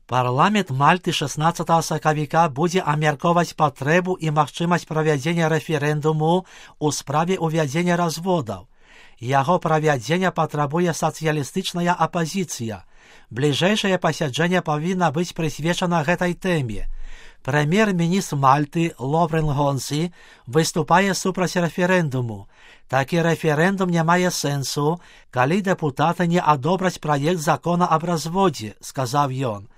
Парламент Мальты 16 сакавіка будзе абмяркоўваць патрэбу і магчымасць правядзення рэферэндуму ў справе ўвядзення разводаў. Яго правядзення патрабуе сацыялістычная апазіцыя. Бліжэйшае пасяджэнне павінна быць прысвечана гэтай тэме. Прэм'ер-міністр Мальты Ловрен Гонси выступае супраць рэферэндуму. Такі рэферэндум не мае сэнсу, калі дэпутаты не адобраць праект закона аб разводзе, сказаў ён.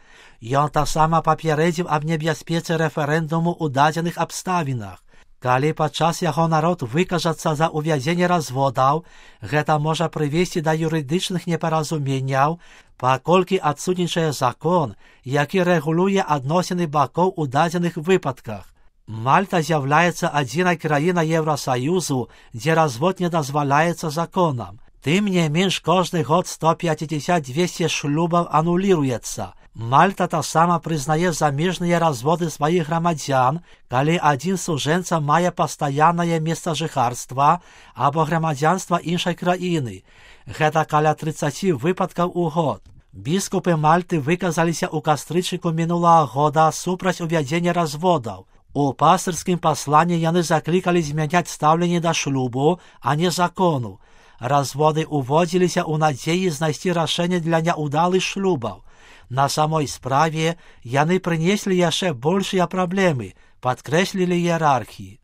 Ён таксама папярэдзіў аб небяспецы рэферэндуму ў дадзеных абставінах. Калі падчас яго народ выкажацца за ўвядзенне разводаў, гэта можа прывесці да юрыдычных непаразуменняў, паколькі адсутнічае закон, які рэгулюе адносіны бакоў у дадзеных выпадках. Мальта з'яўляецца адзінай краінай Еўрасаюзу, дзе развод не дазваляецца законам. Тым не менш, кожны год 150-200 шлюбаў ануліруецца. Мальта таксама прызнае замежныя разводы сваіх грамадзян, калі адзін з сужэнцаў мае пастаяннае месцажыхарства або грамадзянства іншай краіны. Гэта каля 30 выпадкаў у год. Біскупы Мальты выказаліся ў кастрычніку мінулага года супраць увядзення разводаў. У пастырскім пасланні яны заклікалі змяняць стаўленне да шлюбу, а не закону. Разводы уводзіліся ў надзеі знайсці рашэнне для няўдалых шлюбаў. На самой справе яны прынеслі яшчэ большыя праблемы, падкрэслілі іерархі.